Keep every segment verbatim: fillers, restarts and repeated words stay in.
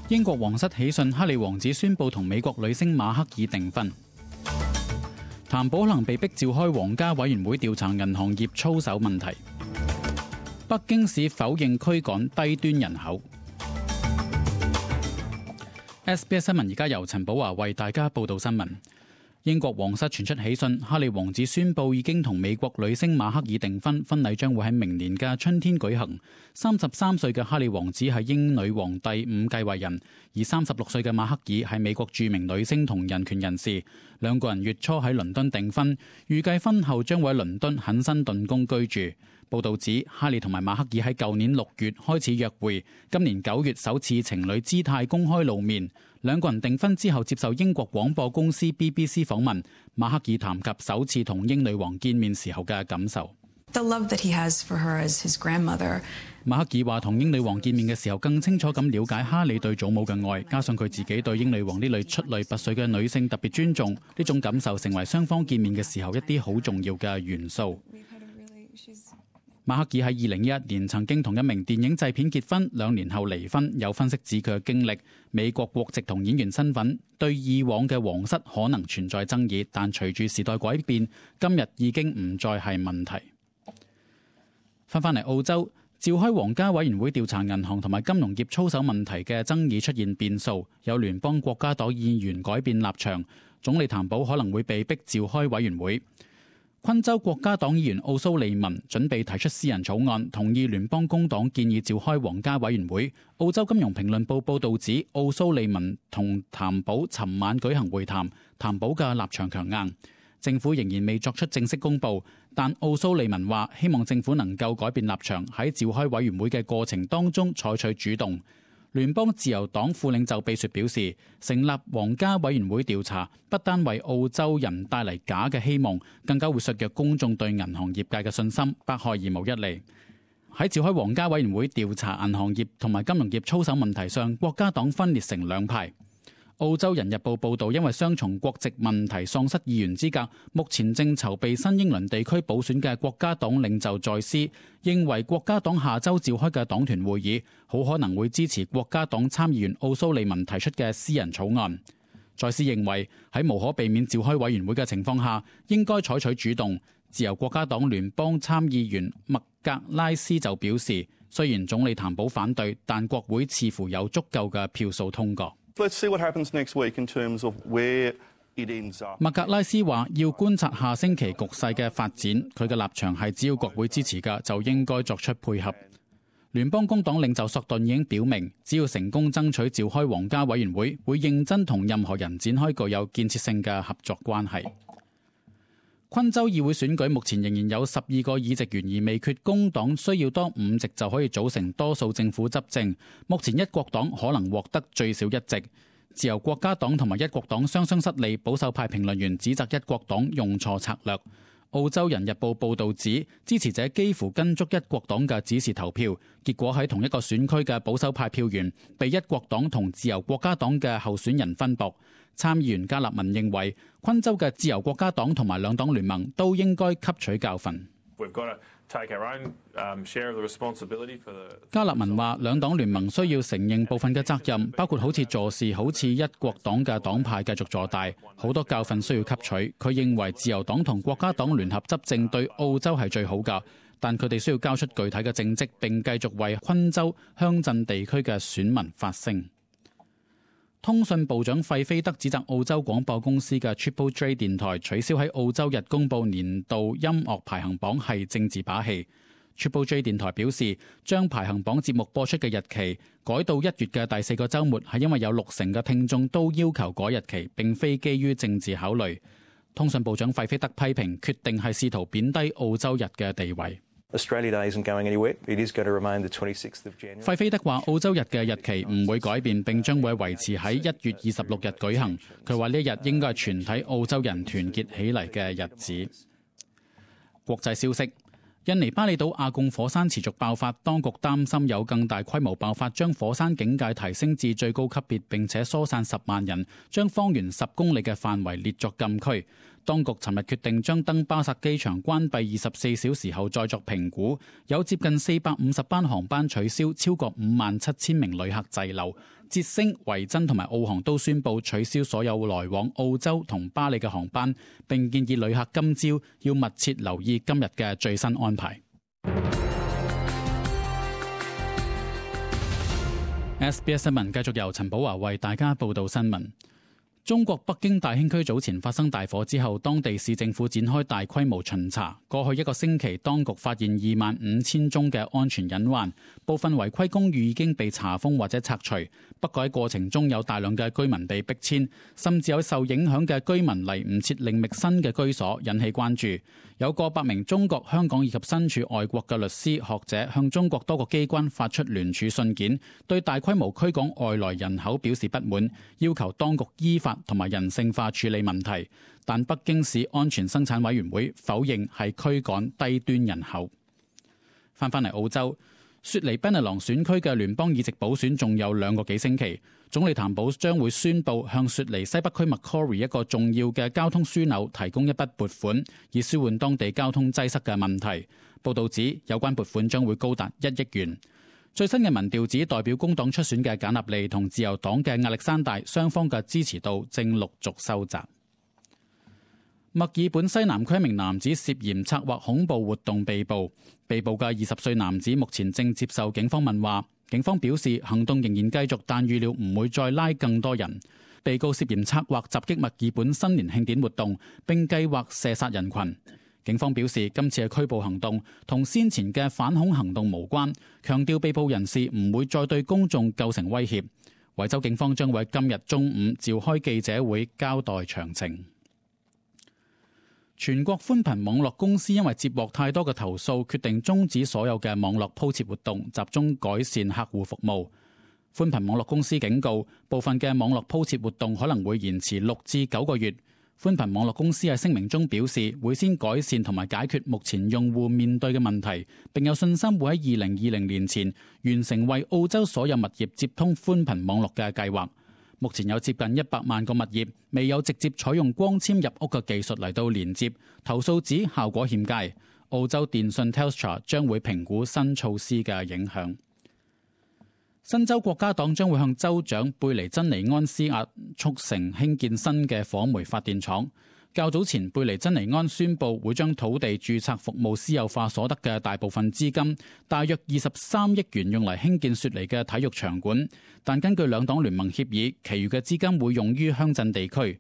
英國皇室喜訊，哈利王子宣布同美國女星馬克爾訂婚。譚寶可能被逼召開皇家委員會調查銀行業操守問題。北京市否認驅趕低端人口。S B S 新聞而家由陳寶華為大家報道新聞。英國皇室傳出喜訊，哈利王子宣布已經同美國女星馬克爾訂婚，婚禮將會喺明年嘅春天舉行。三十三歲嘅哈利王子係英女王第五繼位人，而三十六歲嘅馬克爾係美國著名女星同人權人士。兩個人月初喺倫敦訂婚，預計婚後將會喺倫敦肯辛頓宮居住。報道指，哈利同埋馬克爾喺舊年六月開始約會，今年九月首次情侶姿態公開露面。兩個人訂婚之後接受英國廣播公司 B B C 訪問，馬克爾談及首次同英女王見面時候嘅感受。The love that he has for her as his grandmother. 馬克爾話同英女王見面嘅時候更清楚咁了解哈利對祖母嘅愛，加上佢自己對英女王呢類出類拔萃嘅女性特別尊重，呢種感受成為雙方見面嘅時候一啲好重要嘅元素。馬克爾喺二零一一年曾經同一名電影製片結婚，兩年後離婚。有分析指佢嘅經歷、美國國籍同演員身份對以往嘅皇室可能存在爭議，但隨住時代改變，今日已經唔再係問題。翻返嚟澳洲，召開皇家委員會調查銀行同埋金融業操守問題嘅爭議出現變數，有聯邦國家黨議員改變立場，總理譚寶可能會被逼召開委員會。昆州國家黨議員奧蘇利文準備提出私人草案，同意聯邦工黨建議召開皇家委員會。澳洲金融評論報報道指，奧蘇利文同譚寶尋晚舉行會談，譚寶嘅立場強硬。政府仍然未作出正式公佈，但奧蘇利文話希望政府能夠改變立場，喺召開委員會嘅過程當中採取主動。聯邦自由黨副領袖秘書表示，成立皇家委員會調查不單為澳洲人帶嚟假嘅希望，更加會削弱公眾對銀行業界嘅信心，百害而無一利。喺召開皇家委員會調查銀行業同埋金融業操守問題上，國家黨分裂成兩派。澳洲人日報報導，因為雙重國籍問題喪失議員資格，目前正籌備新英倫地區補選嘅國家黨領袖在斯認為國家黨下週召開嘅黨團會議好可能會支持國家黨參議員奧蘇利文提出嘅私人草案。在斯認為喺無可避免召開委員會嘅情況下，應該採取主動。自由國家黨聯邦參議員麥格拉斯就表示，雖然總理譚寶反對，但國會似乎有足夠嘅票數通過。Let's see what happens next week in terms of where it ends up. 麥格拉斯話要觀察下星期局勢嘅發展，佢嘅立場係只要國會支持嘅就應該作出配合。聯邦工黨領袖索頓已經表明，只要成功爭取召開皇家委員會，會認真同任何人展開具有建設性嘅合作關係。昆州議會選舉目前仍然有十二個議席懸而未決，工黨需要多五席就可以組成多數政府執政。目前一國黨可能獲得最少一席。自由國家黨同埋一國黨雙雙失利，保守派評論員指責一國黨用錯策略。澳洲人日報報導指，支持者幾乎跟足一國黨嘅指示投票，結果喺同一個選區嘅保守派票源被一國黨同自由國家黨嘅候選人分薄。參議員加納文認為，昆州嘅自由國家黨同埋兩黨聯盟都應該吸取教訓。加納文話，兩黨聯盟需要承認部分嘅責任，包括好似助事好似一國黨嘅黨派繼續坐大，好多教訓需要吸取。佢認為自由黨同國家黨聯合執政對澳洲係最好㗎，但佢哋需要交出具體嘅政績，並繼續為昆州鄉鎮地區嘅選民發聲。通訊部長費菲德指責澳洲廣播公司嘅 Triple J 電台取消喺澳洲日公佈年度音樂排行榜係政治把戲。Triple J 電台表示，將排行榜節目播出嘅日期改到一月嘅第四個週末，係因為有六成嘅聽眾都要求改日期，並非基於政治考慮。通訊部長費菲德批評決定係試圖貶低澳洲日嘅地位。Australia Day isn't going anywhere. It is going to remain the twenty-sixth of January. 費菲德話：澳洲日嘅日期唔會改變，並將會維持喺一月二十六日舉行。佢話呢一日應該係全體澳洲人團結起嚟嘅日子。國際消息：印尼巴厘島阿貢火山持續爆發，當局擔心有更大規模爆發，將火山警戒提升至最高級別，並且疏散十萬人，將方圓十公里嘅範圍列作禁區。當局尋日決定將登巴薩機場關閉二十四小時後再作評估，有接近四百五十班航班取消，超過五萬七千名旅客滯留。捷星、維珍同埋澳航都宣布取消所有來往澳洲同巴里嘅航班，並建議旅客今朝要密切留意今日嘅最新安排。S B S 新聞繼續由陳寶華為大家報道新聞。中國北京大興區早前發生大火之後，當地市政府展開大規模巡查。過去一個星期，當局發現二萬五千宗嘅安全隱患，部分違規公寓已經被查封或者拆除。不過喺過程中有大量嘅居民被逼遷，甚至有受影響嘅居民嚟唔切另覓新嘅居所，引起關注。有過百名中國、香港以及身處外國嘅律師、學者向中國多個機關發出聯署信件，對大規模驅趕外來人口表示不滿，要求當局依法同埋人性化處理問題。但北京市安全生產委員會否認係驅趕低端人口。翻返嚟澳洲，雪梨賓尼朗選區嘅聯邦議席補選仲有兩個幾星期，總理譚寶將會宣布向雪梨西北區 Macquarie 一個重要嘅交通樞紐提供一筆撥款，以舒緩當地交通擠塞嘅問題。報道指有關撥款將會高達一億元。最新嘅民調指代表工黨出選嘅簡納利同自由黨嘅亞歷山大，雙方嘅支持度正陸續收窄。墨爾本西南區一名男子涉嫌策劃恐怖活動被捕，被捕嘅二十歲男子目前正接受警方問話。警方表示行動仍然繼續，但預料唔會再拉更多人。被告涉嫌策劃襲擊墨爾本新年慶典活動，並計劃射殺人群。警方表示今次嘅拘捕行動同先前嘅反恐行動無關，強調被捕人士唔會再對公眾構成威脅。維州警方將會喺今日中午召開記者會交代詳情。全國寬頻網絡公司因為接獲太多嘅投訴，決定終止所有嘅網絡鋪設活動，集中改善客戶服務。寬頻網絡公司警告，部分嘅網絡鋪設活動可能會延遲六至九個月。寬頻網絡公司喺聲明中表示，會先改善同埋解決目前用戶面對嘅問題，並有信心會喺二零二零年前完成為澳洲所有物業接通寬頻網絡嘅計劃。目前有接近一百萬個物業未有直接採用光纖入屋嘅技術嚟到連接，投訴指效果欠佳。澳洲電信 Telstra 將會評估新措施嘅影響。新州國家黨將會向州長貝尼珍尼安施壓，促成興建新嘅火煤發電廠。較早前，貝尼珍尼安宣布會將土地註冊服務私有化所得嘅大部分資金，大約二十三億元用嚟興建雪梨嘅體育場館。但根據兩黨聯盟協議，其餘嘅資金會用於鄉鎮地區。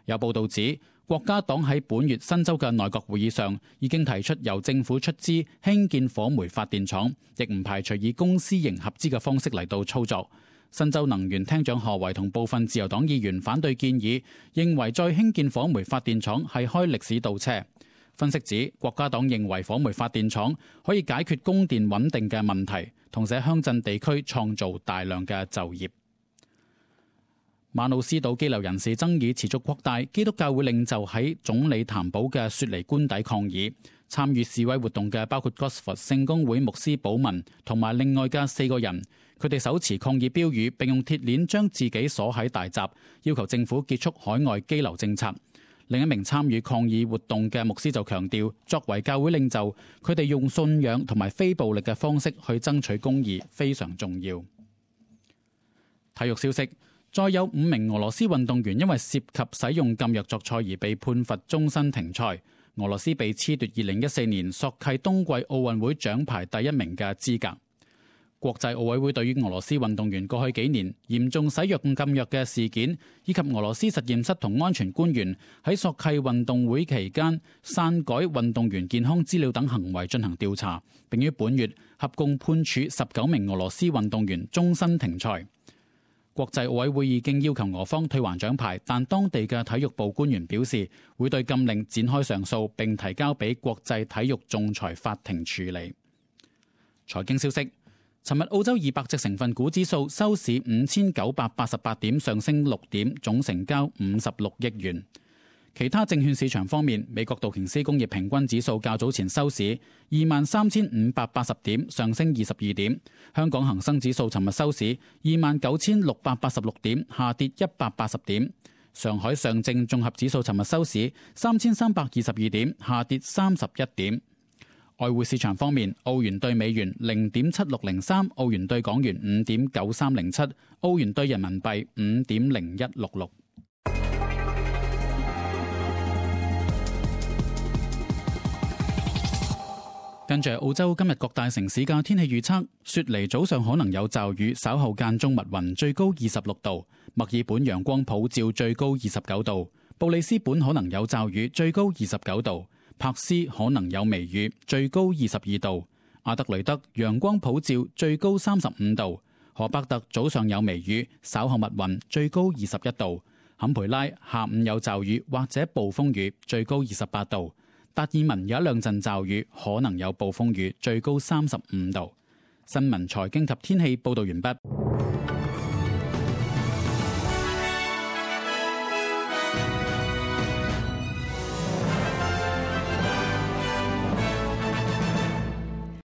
有報道指，國家黨喺本月新州嘅內閣會議上已經提出由政府出資興建火煤發電廠，亦唔排除以公私營合資嘅方式嚟到操作。新州能源廳長何維同部分自由黨議員反對建議，認為再興建火煤發電廠係開歷史倒車。分析指，國家黨認為火煤發電廠可以解決供電穩定嘅問題，同時喺鄉鎮地區創造大量嘅就業。馬努斯島羈留人士爭議持續擴大，基督教會領袖喺總理譚寶嘅雪梨官邸抗議。參與示威活動嘅包括 Gosford 聖公會牧師保文同埋另外嘅四個人，佢哋手持抗議標語，並用鐵鏈將自己鎖喺大閘，要求政府結束海外羈留政策。另一名參與抗議活動嘅牧師就強調，作為教會領袖，佢哋用信仰同埋非暴力嘅方式去爭取公義，非常重要。體育消息。再有五名俄羅斯運動員因為涉及使用禁藥作賽而被判罰終身停賽。俄羅斯被褫奪二零一四年索契冬季奧運會獎牌第一名嘅資格。國際奧委會對於俄羅斯運動員過去幾年嚴重使用禁藥嘅事件，以及俄羅斯實驗室同安全官員喺索契運動會期間篡改運動員健康資料等行為進行調查，並於本月合共判處十九名俄羅斯運動員終身停賽。國際奧委會已經要求俄方退還獎牌，但當地嘅體育部官員表示會對禁令展開上訴，並提交俾國際體育仲裁法庭處理。財經消息，尋日澳洲二百隻成分股指數收市五千九百八十八點，上升六點，總成交五十六億元。其他證券市場方面，美國道瓊斯工業平均指數較早前收市二萬三千五百八十點，上升二十二點。香港恒生指數尋日收市二萬九千六百八十六點，下跌一百八十點。上海上證綜合指數尋日收市三千三百二十二點，下跌三十一點。外匯市場方面，澳元兌美元零點七六零三，澳元兌港元五點九三零七，澳元兌人民幣五點零一六六。跟住澳洲今日各大城市嘅天氣預測：雪梨早上可能有驟雨，稍後間中密雲，最高二十六度；墨爾本陽光普照，最高二十九度；布里斯本可能有驟雨，最高二十九度。柏斯可能有微雨，最高二十二度；阿德雷德陽光普照，最高三十五度；荷伯特早上有微雨，稍後密雲，最高二十一度；坎培拉下午有驟雨或者暴風雨，最高二十八度；達爾文有一兩陣驟雨，可能有暴風雨，最高三十五度。新聞財經及天氣報道完畢。